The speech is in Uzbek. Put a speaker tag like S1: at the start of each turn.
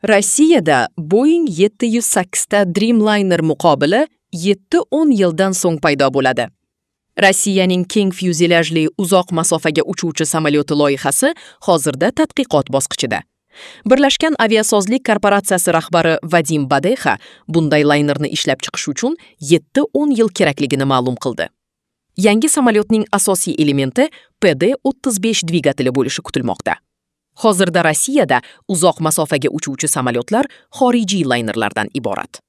S1: Rossiyada Boeing 708 ta Dreamliner muqobili 7-10 yildan so'ng paydo bo'ladi. Rossiyaning keng fyuzelyajli uzoq masofaga uchuvchi samolyoti loyihasi hozirda tadqiqot bosqichida. Birlashgan aviasozlik korporatsiyasi rahbari Vadim Badexa bunday laynerni ishlab chiqish uchun 7-10 yil kerakligini ma'lum qildi. Yangi samolyotning asosiy elementi PD-35 dvigateli bo'lishi kutilmoqda. Hozirda Rossiyada uzoq masofaga uchuvchi samolyotlar xorijiy laynerlardan iborat.